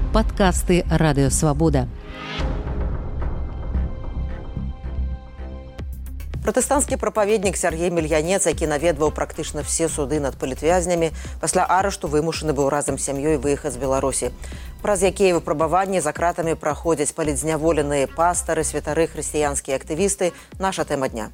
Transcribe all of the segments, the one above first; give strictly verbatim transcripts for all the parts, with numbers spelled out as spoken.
Падкасты Радыё Свабода. Пратэстанцкі прапаведнік Сяргей Мільянец, які наведваў практычна все суды над палітвязнямі, пасля арышту вымушаны быў разам з сям'ёй выехаць з Беларусі. Праз якія выпрабаванні за кратамі праходзяць палітзняволеныя пастары, святары, хрысціянскія актывісты – наша тэма дня.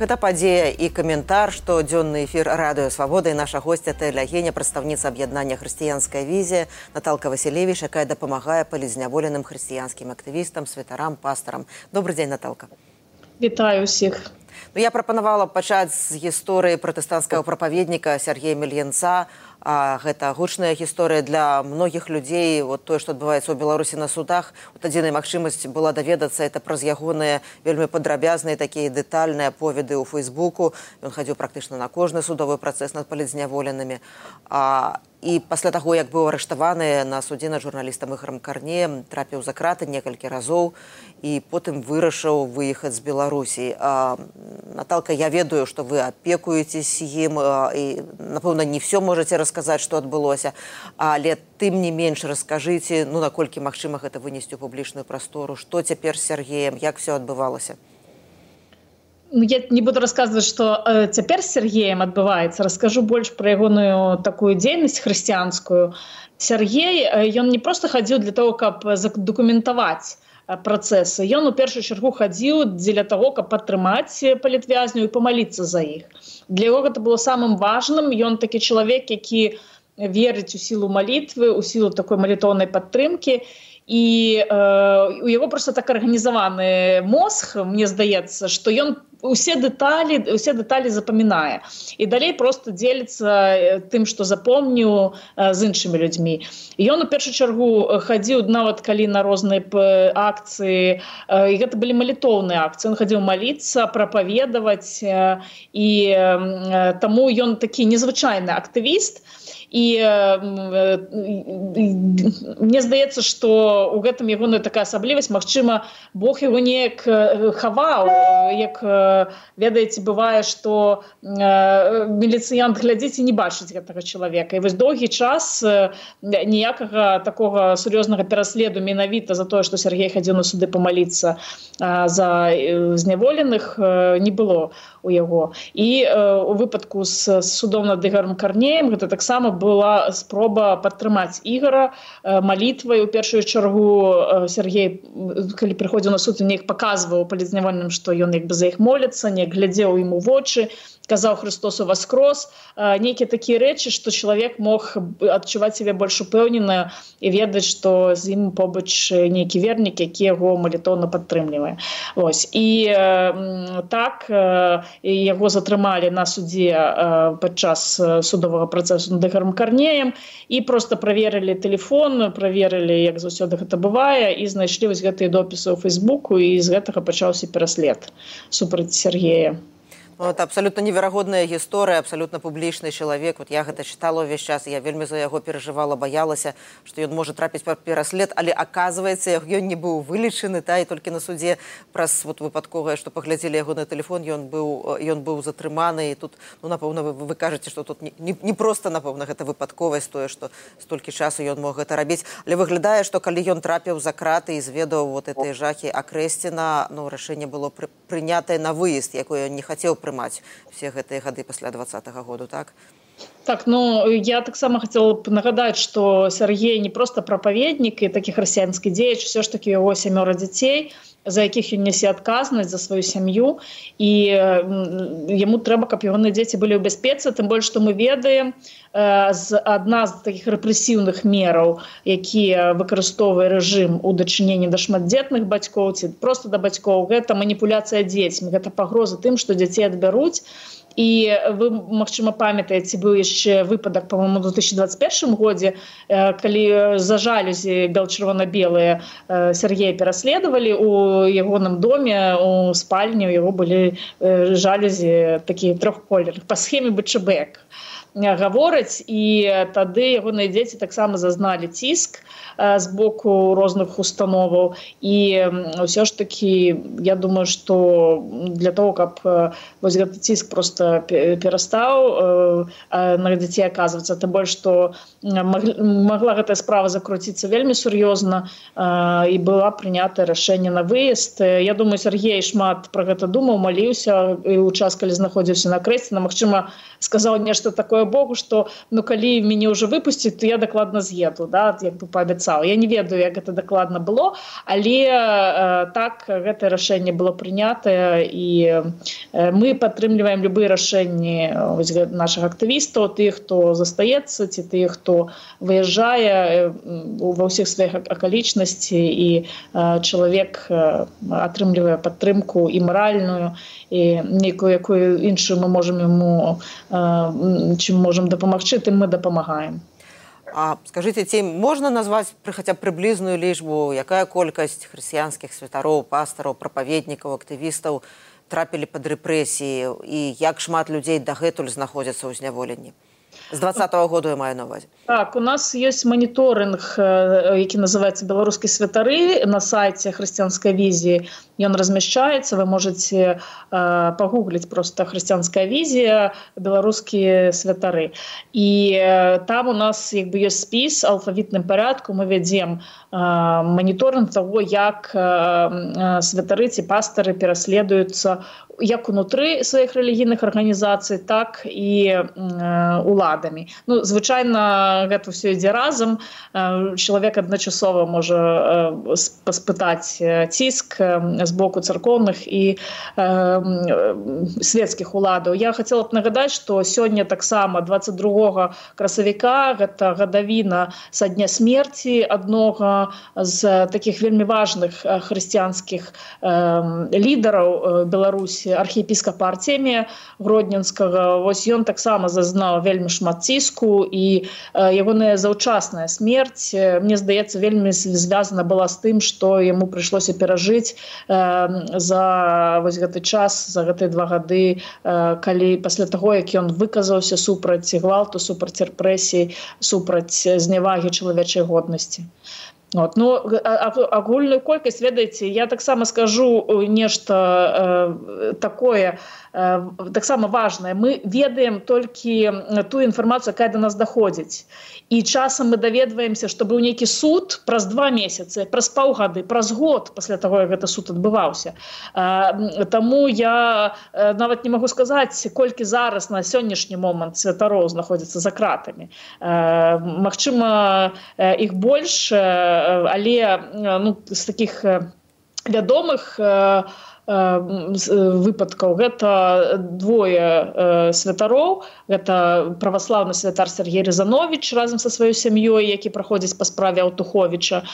Гэта падзея і каментар, што дзённы эфір Радыё Свабода і наша госця тэлегеня, прадстаўніца аб'яднання «Хрысціянская візія» Наталка Васілевіч, якая дапамагае палітзняволеным хрысціянскім актывістам, святарам, пастарам. Добры дзень, Наталка. Вітаю ўсіх. Ну, я прапанавала пачаць з гісторыі пратэстанцкага прапаведніка Сяргея Мільянца. А гэта гучная гісторыя для многіх людзей. Вот тое, што адбываецца ў Беларусі на судах, от адзіная магчымасць была даведацца это праз ягоныя вельмі падрабязныя такія дэтальныя аповеды ў Фейсбуку. Ён хадзіў практычна на кожны судовы працэс над палітзняволенымі. А і пасля таго, як быў арыштаваны на судзе над журналістам Ігорам Карнеем, трапіў за краты некалькі разоў і потым вырашыў выехаць з Беларусі. А, Наталка, я ведаю, што вы апекуецесь ім а, і, напэўна, не все можаце расказаць, што адбылося, але тым не менш раскажыце, ну, наколькі магчыма гэта вынесці ў публічную прастору, што цяпер з Сяргеем, як все адбывалася? Я не буду рассказывать, что э, цяпер с Сергеем адбываецца. Раскажу больш пра ягоную такую дзейнасць хрысціянскую. Сергей, э, ён не просто хадзіў для того, каб задакументаваць э, працэсы. Ён у першую чаргу хадзіў дзеля того, каб падтрымаць палітвязню і памаліцца за іх. Для яго гэта было самым важным. Ён такі чалавек, які верыць у сілу малітвы, у сілу такой малітоўнай падтрымкі. І э, у яго просто так арганізаваны мозг, мне здаецца, што ён усе дэталі, усе дэталі запамінае. І далей просто дзеліцца тым, што запомніў э, з іншымі людзьмі. І ён у першую чаргу хадзіў, нават калі на розныя акцыі, э, і гэта былі малітоўныя акцыі. Ён хадзіў маліцца, прапаведаваць, э, і э, таму ён такі незвычайны актывіст. І э, мне здаецца, што у гэтым ягоная такая асаблівасць, магчыма, Бог яго неяк хаваў, як, ведаеце, бывае, што э, міліцыянт глядзіць і не бачыць гэтага чалавека. І вось доўгі час ніякага такога сур'ёзнага пераследу менавіта за тое, што Сяргей хадзіў на суды памаліцца э, за зняволеных, э, не было у яго. І э, у выпадку з, з судом над Ігорам Карнеем гэта таксама была спроба падтрымаць Ігора э, малітвай. У першую чаргу э, Сяргей, калі прыходзіў на суд, неяк паказваў палітзняволеным, што ён як бы за іх моліцца, неяк глядзеў ім у вочы, казаў Христос уваскрос, э, нейкія такія рэчы, што чалавек мог адчуваць сябе больш упэўнена і ведаць, што з ім побач нейкі вернік, які яго малітоўна падтрымлівае. Вось. І э, так э, яго затрымалі на судзе э, падчас судовага працэсу над Ігорам Карнеем і просто праверылі тэлефон, праверылі, як заўсёды гэта бывае, і знайшлі вось гэтыя допісы ў Фейсбуку, і з гэтага пачаўся пераслед супраць Сяргея. Ну, это абсолютно неверагодная гісторыя, абсолютно публічны чалавек. Вот я гэта чытала ўвесь час, я вельмі за яго перажывала, баялася, што ён можа трапіць пад пераслед, але аказваецца, ён не быў вылечаны, та, і толькі на судзе праз вот, выпадковае, што паглядзелі яго на тэлефон, ён быў, ён быў затрыманы. І тут, ну, напэўна, вы, вы кажаце, што тут не, не, не проста, напэўна, гэта выпадковасць, тое, што столькі часу ён мог гэта рабіць. Але выглядае, што калі ён трапіў за краты і зведаў вот этой жахі Акрэсціна, ну, рашэнне было пры, прынятае на выезд, якое ён не хацеў прымаць все гэтыя гады пасля двадцатага году, так? Так, ну, я таксама хацела б нагадаць, што Сяргей не проста прапаведнік і такі хрысціянскі дзеяч, усё ж такі яго сямёра дзяцей, за якіх ён нясе адказнасць за сваю сям'ю, і яму трэба, каб ягоныя дзеці былі ў бяспецы, тым больш, што мы ведаем, адна з такіх рэпрэсіўных мераў, якія выкарыстоўвае рэжым у дачыненні да шматдзетных бацькоў ці проста да бацькоў, гэта маніпуляцыя дзецьмі, гэта пагроза тым, што дзяцей адбяруць. І вы, магчыма, памятаеце, быў яшчэ выпадак, па-моему, у две тысячи двадцать первом годзе, калі за жалюзі бел-чырвона-белыя Сяргея пераследавалі у ягоным доме, у спальні, у яго былі жалюзі такія трохколерных, па схеме Бычэбек. гавораць, і тады ягоныя дзеці таксама зазналі ціск з боку розных установаў. І ўсё ж такі, я думаю, што для того, каб вось гэты ціск просто перастаў на дзяцей аказвацца, тым больш, што магла гэтая справа закруціцца вельмі сур'ёзна, і была прынята рашэнне на выезд. Я думаю, Сергей шмат пра гэта думаў, маліўся і ў час, калі знаходзіўся на крэсце, магчыма, сказаў нешта такое Богу, што ну калі мяне ўжо выпусціць, то я дакладна з'еду, да, як бы паабяцаў. Я не ведаю, як гэта дакладна было, але э, так гэтае рашэнне было прынятае, і э, мы падтрымліваем любыя рашэнні нашых актывістаў, тых, хто застаецца, ці тых, хто выязджае э, ва ўсіх сваіх акалічнасці, і э, чалавек э, атрымлівае падтрымку і маральную, і нейкую якую іншую мы можам яму э, чым можам дапамагчы, тым мы дапамагаем. А скажыце, ці можна назваць хаця б прыблізную лічбу, якая колькасць хрысціянскіх святароў, пастараў, прапаведнікаў, актывістаў трапілі пад рэпрэсіі, і як шмат людзей дагэтуль знаходзяцца ў зняволенні? З двадцатого году я маю на увазе. Так, у нас есть мониторинг, які называется «Белорусские святары» на сайте «Христианской визии». И он размещается, вы можете э, погуглить просто «Христианская визия», «Белорусские святары». И э, там у нас как бы, есть спис алфавитным порядком, мы ведем э, мониторинг того, как э, святары, ці пастыры пераследуюцца як унутры сваіх рэлігійных арганізацый, так і э, уладамі. Ну, звычайна, гэта ўсё ідзе разам. Э, чалавек адначасова можа э, спытаць ціск э, з боку царкоўных і э, свецкіх уладаў. Я хацела б нагадаць, што сёння таксама двадцать другога красавіка, гэта гадавіна са дня смерці аднога з такіх вельмі важных хрысціянскіх э, лідараў Беларусі, архіепіскапа Артемія Гродненскага. Вось ён таксама зазнаў вельмі шмат ціску, і э, ягоная заўчасная смерць, э, мне здаецца, вельмі звязана была з тым, што яму прыйшлося перажыць э, за вось гэты час, за гэтыя два гады, э, калі пасля таго, як ён выказаўся супраць гвалту, супраць рэпрэсій, супраць знявагі чалавечай годнасці. Вот. Ну, агульную колькасць, ведаеце, я таксама скажу нешта э, такое, э, таксама важнае. Мы ведаем толькі ту інфармацыю, якая да нас даходзіць. І часам мы даведваемся, што быў нейкі суд праз два месяцы, праз паўгады, праз год пасля таго, як гэта суд адбываўся. Э, таму я э, нават не магу сказаць, колькі зараз на сённяшні момант святароў знаходзіцца за кратамі. Э, магчыма, э, іх больш, э, але ну, з такіх вядомых выпадкаў гэта двое святароў. Гэта праваслаўны святар Сергей Рязанович разам са сваёй сям'ёй, які праходзіць па справе Аўтуховіча.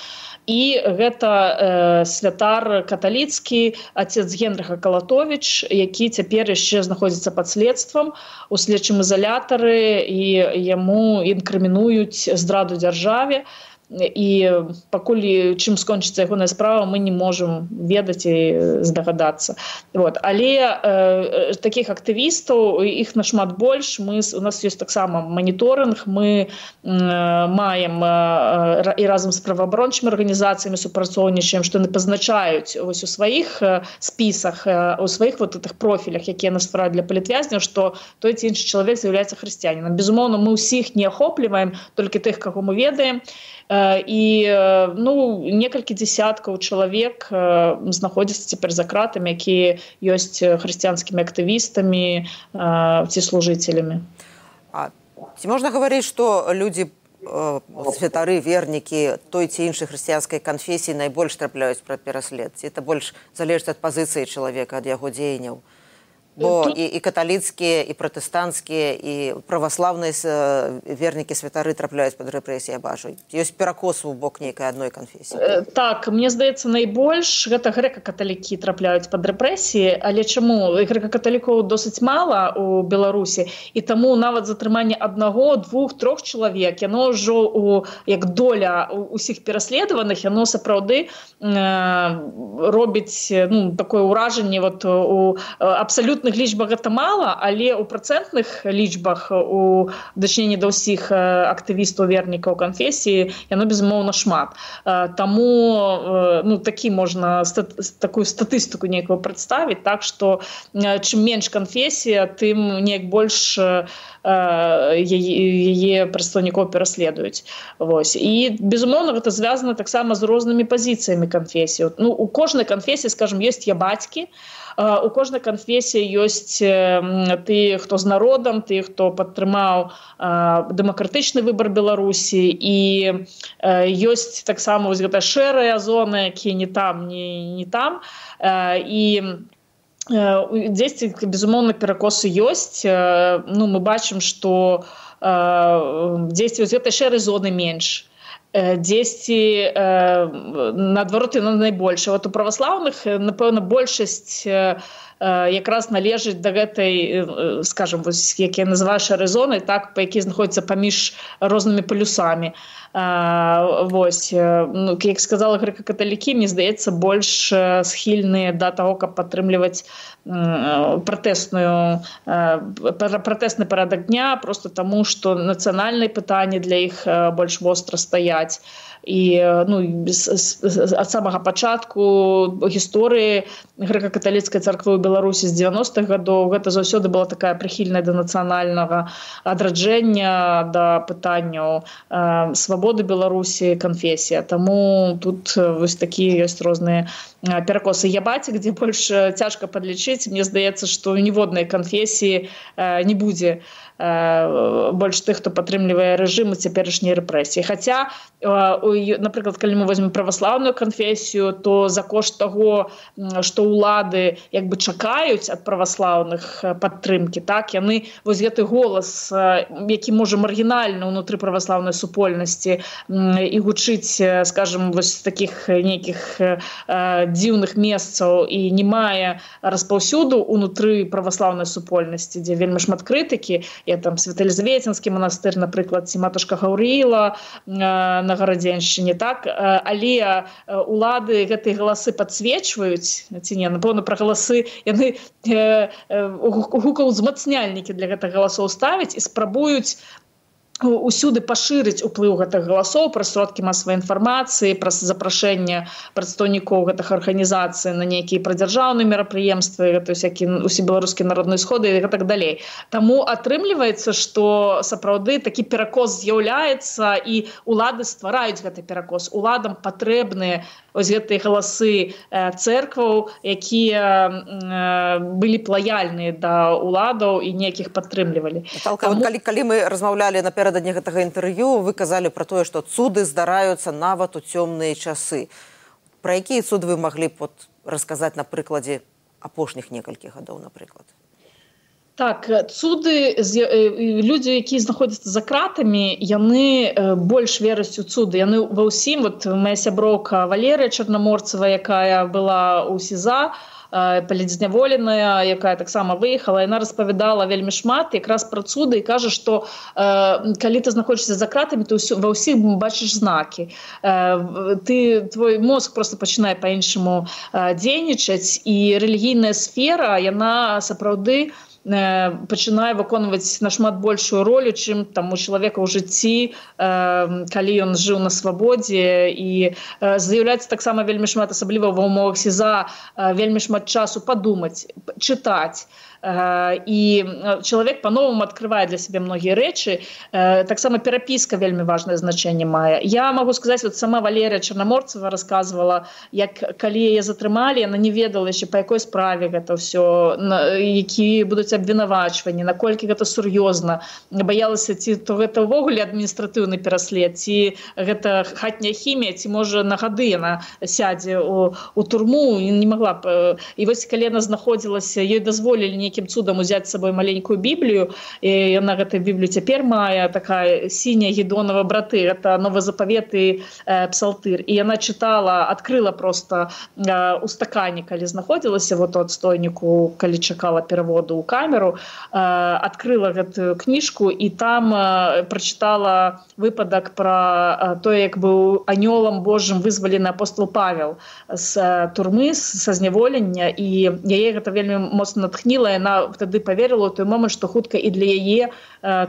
І гэта э, святар каталіцкі, отец Генрыха Калатович, які цяпер яшчэ знаходзіцца пад следствам у следчым ізалятары, і яму інкрымінуюць здраду дзяржаве. І пакуль чым скончыцца ягоная справа, мы не можам ведаць і здагадацца. Вот. Але э, такіх актывістаў, іх нашмат больш. Мы, у нас ёсць таксама моніторинг, мы э, маем э, і разам з праваабарончымі арганізацыямі супрацоўнічаем, што яны пазначаюць ось у сваіх э, спісах, э, у сваіх вот этих профілях, якія нас ствараюць для палітвязняў, што той ці іншы чалавек з'яўляецца хрысціянінам. Безумоўна, мы ўсіх не ахопліваем, толькі тых, каго мы ведаем. І ну, некалькі дзесяткаў чалавек знаходзяцца цяпер за кратамі, якія ёсць хрысціянскімі актывістамі ці служыцелямі. А ці можна гаварыць, што людзі, святары, вернікі той ці іншай хрысціянскай канфесіі найбольш трапляюць пра пераслед? Ці это больш залежыць ад пазіцыі чалавека, ад яго дзеянняў? Бо і, і каталіцкія, і пратэстанцкія, і праваслаўныя вернікі святары трапляюць пад рэпрэсіі, я бачу. Ёсць перакос у бок нейкай адной канфесіі. Так, мне здаецца, найбольш гэта грэка-каталікі трапляюць пад рэпрэсіі, але чаму? Грэка-каталікоў досыць мала у Беларусі, і таму нават затрыманне аднаго, двух, трох чалавек, яно ўжо у, як доля усіх пераследаваных, яно сапраўды э, робіць ну, такое ўражанне вот, у абсалютна абсалютных лічбах гэта мала, але ў працэнтных лічбах у дачыненні да ўсіх актывістаў вернікаў канфесіі яно безумоўна шмат. Таму ну такі можна такую статыстыку нейкую прадставіць, так што чым менш канфесія, тым неяк больш яе прадстаўнікоў пераследуюць. Вось. І безумоўна гэта звязана таксама з рознымі пазіцыямі канфесій. Ну, у кожнай канфесіі, скажем, ёсць ябацькі, у кожнай канфесіі ёсць ты, хто з народам, ты, хто падтрымаў дэмакратычны выбар Беларусі, і ёсць таксама вось гэта шэрая зона, якія не там, не, не там. І дзесьці, безумоўна, перакосы ёсць. Ну, мы бачым, што дзесьці вось гэтай шэрай зоны менш. Дзесьці наадварот яно найбольшае. Вот у праваслаўных, напэўна, большасць якраз належыць да гэтай, скажем, вось, як я называю шэрай зонай, так, па якій знаходзіцца паміж рознымі палюсамі. Вось, ну, як сказала грэка-каталікі, мне здаецца, больш схільныя да таго, каб падтрымліваць пратэсную, пратэсны парадак дня, просто таму, што нацыянальныя пытанні для іх больш востра стаяць. І ну, ад самага пачатку гісторыі грэка-каталіцкай царквы ў Беларусі з дзевяностых гадоў гэта заўсёды была такая прыхільная да нацыянальнага адраджэння, да пытанняў свабоды Беларусі, канфесія. Таму тут вось такія ёсць розныя перакосы. Ябаці, дзе больш цяжка падлічыць, мне здаецца, што ў ніводнай канфесіі не будзе больш тых, хто падтрымлівае рэжым і цяперашнія рэпрэсіі. Хаця, напрыклад, калі мы возьмем праваслаўную канфесію, то за кошт таго, што ўлады як бы чакаюць ад праваслаўных падтрымкі, так, яны вось гэты голас, які можа маргінальна ўнутры праваслаўнай супольнасці і гучыць, скажем, вось такіх нейкіх дзіўных месцаў і не мае распаўсюду ўнутры праваслаўнай супольнасці, дзе вельмі шмат крытыкі. Я там Святаелізаветинскі манастыр, напрыклад, ці матушка Гаўрыіла на Гарадзеншчыне, так, але улады гэтыя галасы падсвечваюць, ці не, напэўна, пра галасы яны гукаў узмацняльнікі для гэтых галасоў ставіць і спрабуюць усюды пашырыць уплыў гэтых галасоў праз сродкі масавай інфармацыі, праз запрашэнне прадстаўнікоў гэтых арганізацый на нейкія прадзяржаўныя мерапрыемствы, гэта всякія усебеларускія народныя сходы і так далей. Таму атрымліваецца, што сапраўды такі перакос з'яўляецца і улады ствараюць гэты перакос. Уладам патрэбныя ось гэтыя галасы цэркваў, якія былі б лаяльныя да уладаў і неякіх падтрымлівалі. Наталка, Таму... калі, калі мы размаўлялі напярэдадні гэтага інтэрв'ю, вы казалі пра тое, што цуды здараюцца нават у цёмныя часы. Пра якія цуды вы маглі б вот расказаць на прыкладзе апошніх некалькіх гадоў, напрыклад? Так, цуды, людзі, якія знаходзяцца за кратамі, яны больш вераць у цуды. Яны ва ўсім, вот моя сяброўка Валерыя Чарнаморцева, якая была ў СІЗА, палізняволеная, якая таксама выехала, яна распавядала вельмі шмат якраз пра цуды і кажа, што э, калі ты знаходзішся за кратамі, то ўсё, ва ўсіх бачыш знакі. Э, ты, твой мозг просто пачынае па-іншаму э, дзейнічаць, і рэлігійная сфера, яна сапраўды пачынае выконваць нашмат большую ролю, чым там у чалавека ў жыцці, калі ён жыў на свабодзе, і з'яўляецца таксама вельмі шмат, асабліва ва ўмовах СІЗА, вельмі шмат часу падумаць, чытаць. І чалавек па-новаму адкрывае для сябе многія рэчы. Таксама перапіска вельмі важнае значэнне мае. Я магу сказаць, вот сама Валерія Чарнаморцева расказвала, як калі яе затрымалі, яна не ведала яшчэ, па якой справе гэта ўсё, якія будуць абвінавачванні, наколькі гэта сур'ёзна. Баялася, ці то гэта ўвогуле адміністратыўны пераслед, ці гэта хатняя хімія, ці можа на гады яна сядзе у, у турму, і не магла б. І вось калі яна знаходзілася, ёй дазволілі нейкім цудам узяць з сабой маленькую Біблію, і яна гэтую Біблію цяпер мае, такая сіняя Гедонова браты, гэта Новы Запавет і э, Псалтыр. І яна чытала, адкрыла просто э, у стакане, калі знаходзілася, вот у адстойніку, калі чакала пераводу ў камеру, э, адкрыла гэтую кніжку і там э, прачытала выпадак пра э, тое, як быў анёлам Божым вызвалены апостол Павел з э, турмы, са зняволення, і яе гэта вельмі моцна натхніла. Яна яна тады поверыла ў той момант, што хутка і для яе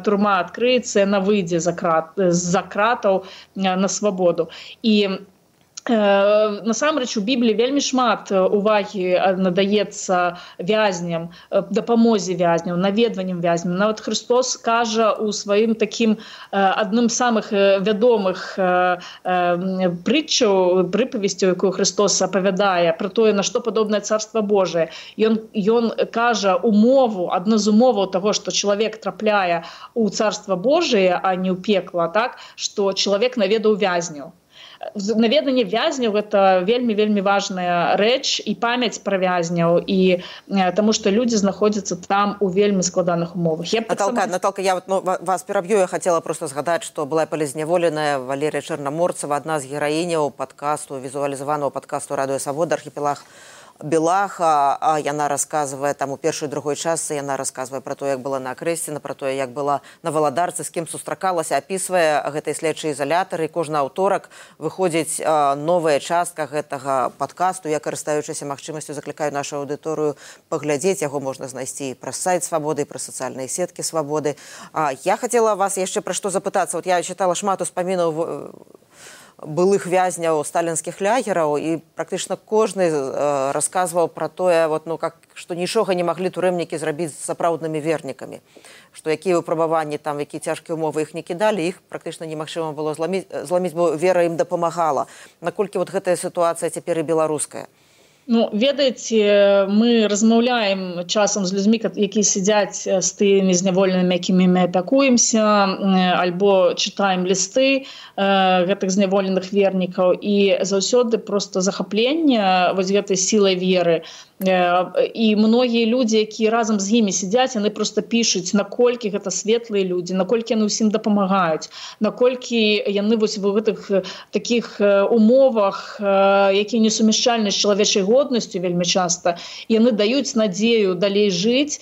турма адкрыецца, яна выйдзе з за кратаў на свабоду. І насамрэч у Бібліі вельмі шмат увагі надаецца вязням, дапамозе вязням, наведванням вязням. Нават Христос кажа ў сваім такім адным з самых вядомых прытчаў, прыпавесцяў, якую Христос апавядае пра тое, на што падобнае Царства Божие. Ён, ён кажа умову, адну з умоваў таго, што чалавек трапляе ў Царства Божие, а не ў пекла, так, што чалавек наведаў вязняў. Наведанне вязняў – гэта вельмі-вельмі важная рэч і памяць пра вязняў, і таму што людзі знаходзяцца там у вельмі складаных умовах. Я Наталка, сама... Наталка, я вот, ну, вас пераб'ю, я хацела просто згадаць, што была палізняволеная Валерія Чэрнаморцава, адна з гераіняў падкасту, візуалізаванага падкасту «Радыё Свабода» «Архіпелаг Белаха». А яна расказвае, там у першай і другой частцы яна расказвае пра тое, як была на Акрэсціна, пра тое, як была на Валадарцы, з кім сустракалася, апісвае гэтай следчай ізалятары. Кожны аўторак выходзіць новая частка гэтага падкасту. Я, карыстаючыся магчымасцю, заклікаю нашу аўдыторыю паглядзець. Яго можна знайсці і праз сайт Свабоды, і праз сацыяльныя сеткі Свабоды. Я хацела вас яшчэ пра што запытацца. Вот я чытала шмат успамінаў былых вязняў сталінскіх лагераў, і практычна кожны э, расказваў пра тое, вот, ну, как, што нічога не маглі турэмнікі зрабіць з сапраўднымі вернікамі, што якія выпрабаванні, там, якія цяжкія умовы іх не кідалі, іх практычна немагчыма было зламіць, зламіць, бо вера ім дапамагала. Наколькі вот гэтая сітуацыя цяпер і беларуская? Ну, ведаеце, мы размаўляем часам з людзьмі, якія сядзяць з тымі зняволенымі, якімі мы апякуемся, альбо чытаем лісты гэтых зняволеных вернікаў, і заўсёды проста захапленне вось гэтай сілай веры. І многія людзі, якія разам з імі сядзяць, яны проста пішуць, наколькі гэта светлыя людзі, наколькі яны ўсім дапамагаюць, наколькі яны вось в гэтых такіх умовах, якія несумяшчальны з чалавечай годнасцю вельмі часта, яны даюць надзею далей жыць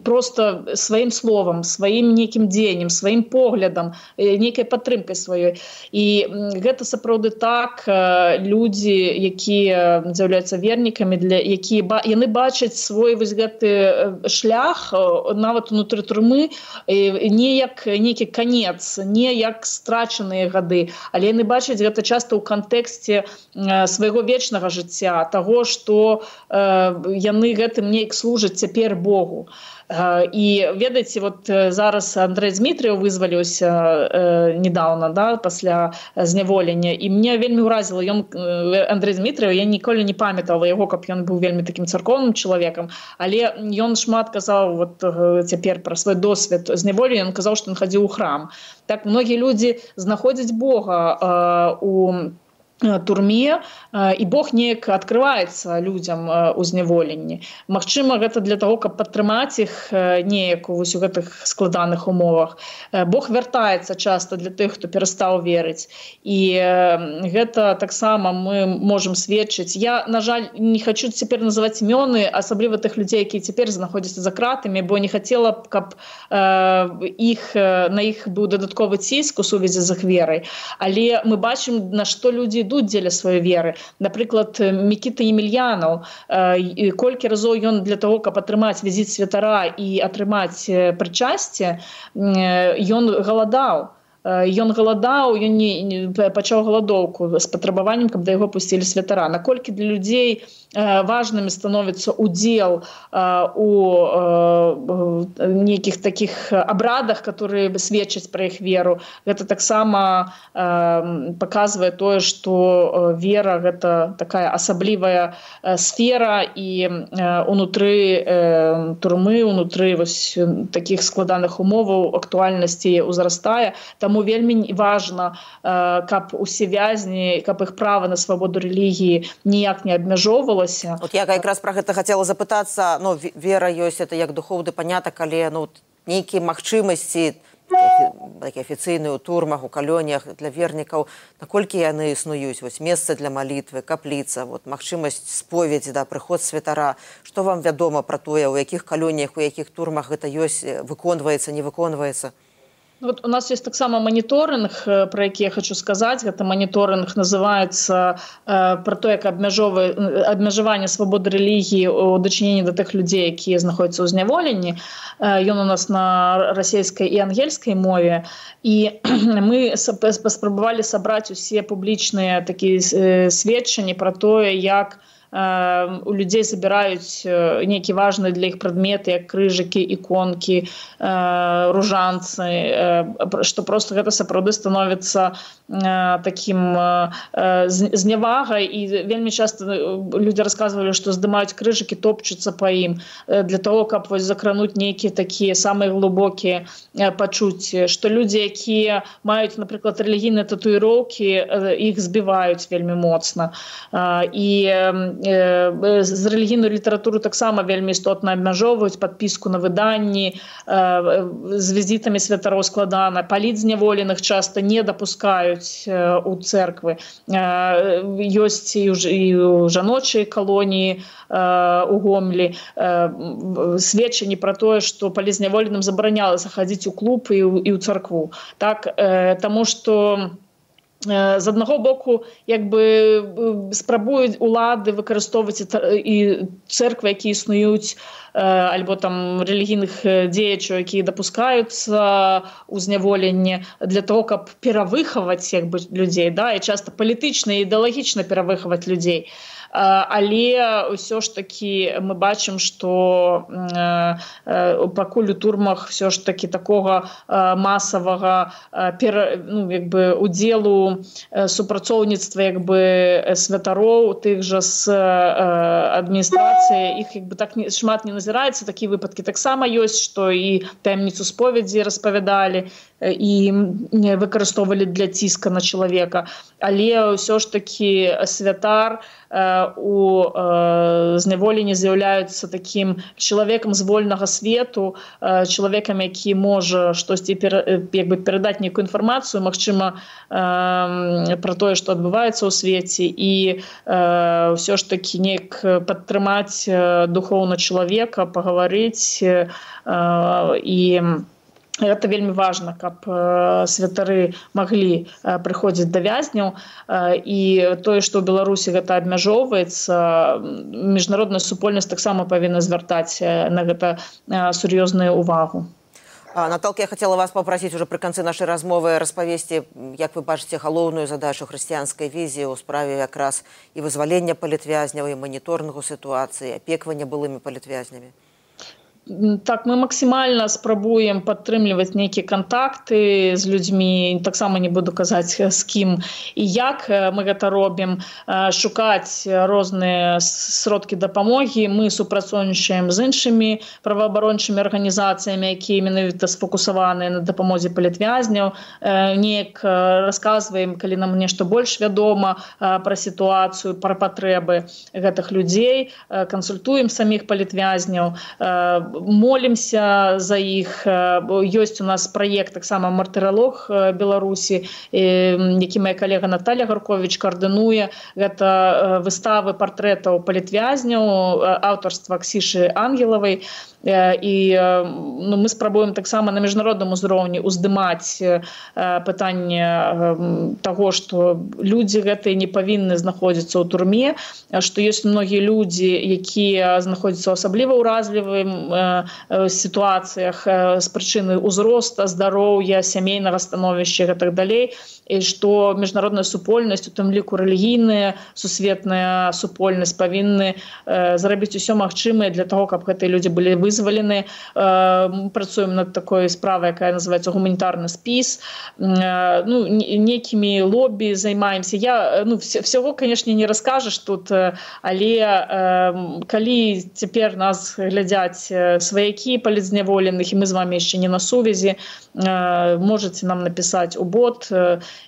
проста сваім словам, сваім нейкім дзеяннем, сваім поглядам, нейкай падтрымкай сваёй. І гэта сапраўды так, людзі, якія з'яўляюцца вернікамі, для якія яны бачаць свой вось гэты шлях нават унутры турмы не як нейкі канец, не як страчаныя гады, але яны бачаць гэта часта ў кантэксце свайго вечнага жыцця, таго, што яны гэтым неяк служаць цяпер Богу. І ведаеце, вот зараз Андрэй Змітрыеў вызваліўся э, недавно, да, пасля зняволення, і мне вельмі ўразіла ён, Андрэй Змітрыеў, я ніколі не памятала яго, каб ён быў вельмі такім царкоўным чалавекам, але ён шмат казаў вот цяпер пра свой досвед зняволення, ён казаў, што ён хадзіў у храм. Так многія людзі знаходзяць Бога э, у турме, і Бог неяк адкрываецца людзям у зняволенні. Магчыма, гэта для таго, каб падтрымаць іх неяк вось у гэтых складаных умовах. Бог вяртаецца часта для тых, хто перастаў верыць. І гэта таксама мы можам сведчыць. Я, на жаль, не хачу цяпер называць імёны, асабліва тых людзей, якія цяпер знаходзяцца за кратамі, бо не хацела б, каб іх, на іх быў дадатковы ціск у сувязі з іх верай. Але мы бачым, на што людзі ідуць дзеля сваёй веры. Напрыклад, Мікіта Емельянаў, колькі разоў ён для таго, каб атрымаць візіт святара і атрымаць прычасце, ён галадаў. Ён галадаў, ён не, не пачаў галадоўку з патрабаваннем, каб да яго пусцілі святара. Наколькі для людзей важнымі становіцца удзел у нейкіх такіх абрадах, которые сведчаць пра іх веру. Гэта таксама паказвае тое, што вера – гэта такая асаблівая сфера, і унутры турмы, унутры вось такіх складаных умоваў актуальнасці ўзрастае. Таму вельмі важна, каб усе вязні, каб іх права на свабоду рэлігіі ніяк не абмяжоўвала. Вот я якраз пра гэта хацела запытацца. Ну, вера ёсць, это як духоўны панятак, але ну, нейкія магчымасці такія афіцыйныя ў турмах, у калоніях для вернікаў, наколькі яны існуюць? Вось месца для малітвы, капліца, вот, магчымасць споведзі, да, прыход святара. Што вам вядома пра тое, у якіх калоніях, у якіх турмах гэта ёсць, выконваецца, не выконваецца? Вот у нас есть таксама моніторинг, про які я хочу сказаць. Гэта моніторинг называецца э, про то, як абмежаванне свабоды рэлігіі у дачыненні да тых людзей, якія знаходзяцца ў зняволенні. Э, ён у нас на расійскай і ангельскай мове. І мы паспрабавалі сабраць усе публічныя такія э, сведчанні про тое, як у людзей забіраюць нейкія важныя для іх прадметы, як крыжыкі, іконкі, ружанцы, што просто гэта сапраўды становіцца такім знявагай. І вельмі часта людзі расказвалі, што здымаюць крыжыкі, топчуцца па ім для того, каб вось закрануць нейкія такія самыя глыбокія пачуцці, што людзі, якія маюць, напрыклад, рэлігійныя татуіроўкі, іх збіваюць вельмі моцна. І з рэлігійную літаратуру таксама вельмі істотна абмяжоўваюць, падпіску на выданні, з візітамі святароў складана, паліць зняволеных часта не дапускаюць у цэрквы. Ёсць і ў жаночай калоніі у Гомлі сведчанні пра тое, што паліць зняволеным забаранялася хадзіць у клуб і ў царкву. Так, таму што з аднаго боку, як бы спрабуюць улады выкарыстоўваць і цэрквы, якія існуюць, альбо там рэлігійных дзеячаў, якія дапускаюцца ў зняволенне для того, каб перавыхаваць як бы людзей, да, і часта палітычна і ідэалагічна перавыхаваць людзей. Але ўсё ж такі мы бачым, што пакуль у турмах ўсё ж такі такога масавага ну, як бы удзелу супрацоўніцтва як бы святароў тых жа з адміністрацыі, іх як бы так шмат не назіраецца. Такія выпадкі таксама ёсць, што і таямніцу споведзі распавядалі і выкарыстоўвалі для ціска на чалавека. Але ўсё ж такі святар у зняволенні з'яўляюцца такім чалавекам з вольнага свету, чалавекам, які можа штосьці як бы перадаць нейкую інфармацыю, магчыма, пра тое, што адбываецца ў свеце, і ўсё ж такі неяк падтрымаць духоўна чалавека, пагаварыць. І гэта вельмі важна, каб святары маглі прыходзіць да вязняў. І тое, што ў Беларусі гэта абмяжоўваецца, міжнародная супольнасць таксама павінна звяртаць на гэта сур'ёзную увагу. Наталка, я хотела вас попросить уже при конце нашей размовы распавесці, як вы бачыце галоўную задачу хрысціянскай візіі ў справе якраз і вызвалення палітвязняў, і маніторынгу сітуацыі, апеквання былымі палітвязнямі. Так, мы максімальна спрабуем падтрымліваць нейкія кантакты з людзьмі, таксама не буду казаць з кім і як мы гэта робім, шукаць розныя сродкі дапамогі. Мы супрацоўнічаем з іншымі праваабарончымі арганізацыямі, якія менавіта сфокусаваныя на дапамозе палітвязняў. Неяк расказваем, калі нам нешта больш вядома пра сітуацыю, пра патрэбы гэтых людзей, кансультуем саміх палітвязняў, молимся за іх. Ёсць у нас праект таксама «Мартыралог Беларусі», які моя калега Наталья Гаркович коардынуе. Гэта выставы партрэтаў палітвязняў аўтарства Ксішы Ангелавай. І ну, мы спрабуем таксама на міжнародным узроўні уздымаць пытанне таго, што людзі гэтыя не павінны знаходзіцца ў турме, што ёсць многія людзі, якія знаходзяцца ў асабліва ўразлівым сітуацыях з прычыны ўзроста, здароўя, сямейнага становішча і гэтак далей, і што міжнародная супольнасць, у тым ліку рэлігійная сусветная супольнасць, павінны зрабіць усё магчымае для таго, каб гэтыя людзі былі вызвалены. Мы працуем над такой справай, якая называецца гуманітарны спіс. Ну, некімі лобі займаемся. Я, ну, всего, конечно, не раскажаш тут, але калі цяпер нас глядзяць сваякі палітзняволеных, і мы з вами яшчэ не на сувязі, можете нам напісаць у бот,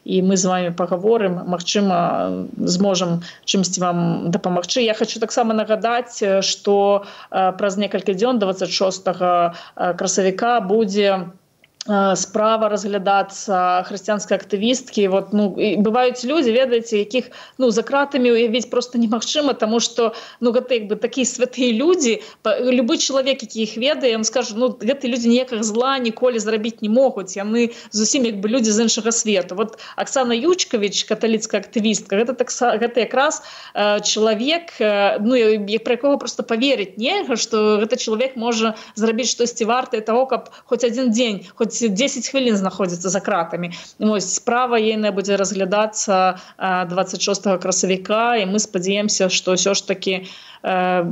і мы з вами пагаворым, магчыма, зможам чымсьці вам дапамагчы. Я хочу таксама нагадаць, што праз некалькі дзён, дваццаць шостага красавіка, будзе справа разглядацца хрысціянскай актывісткі. Вот, ну, бываюць людзі, ведаеце, якіх ну, за кратамі уявіць проста немагчыма, таму што ну, гэта як бы такія святыя людзі, любы чалавек, які іх ведае, ён скажа, ну, гэтыя людзі ніякага зла ніколі зрабіць не могуць, яны зусім як бы людзі з іншага свету. Вот Аксана Ючкавіч, каталіцкая актывістка, гэта, так, гэта якраз э, чалавек, э, ну, пра якога проста паверыць нельга, што гэта чалавек можа зрабіць штосьці вартае таго, каб хоць адзін дзень, хоць дзесяць хвілін знаходзіцца за кратамі. Вось, справа ейная будзе разглядацца дваццаць шостага красавіка, і мы спадзяемся, што ўсё ж такі э,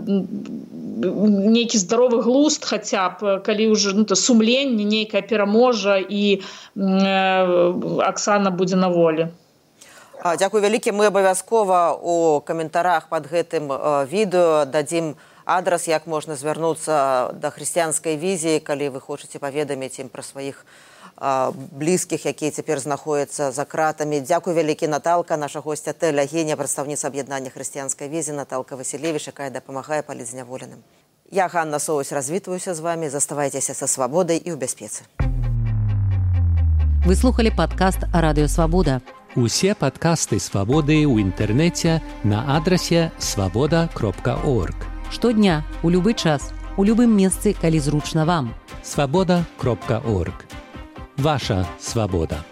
нейкі здаровы глузд хаця б, калі ўжо ну, сумленне нейкае пераможа і э, Аксана будзе на волі. Дзякуй вялікі. Мы абавязкова у каментарах пад гэтым відэо дадзім адрас, як можна звярнуцца да хрысціянскай візіі, калі вы хочаце паведаміць ім пра сваіх а, блізкіх, якія цяпер знаходзяцца за кратамі. Дзякуй вялікі, Наталка, наша госця Тэля Геня, прадстаўніца аб'яднання хрысціянскай візі, Наталка Васілевіч, якая дапамагае палітзняволеным. Я, Ганна Соусь, развітваюся з вамі. Заставайцеся са свабодай і ў бяспецы. Вы слухали падкаст «Радыё Свабода». Усе падкасты «Свабоды» ў інтэрнэце на адрасе свабода кропка орг. Штодня, у любы час, у любым месцы, калі зручна вам. свабода кропка орг. Ваша свабода.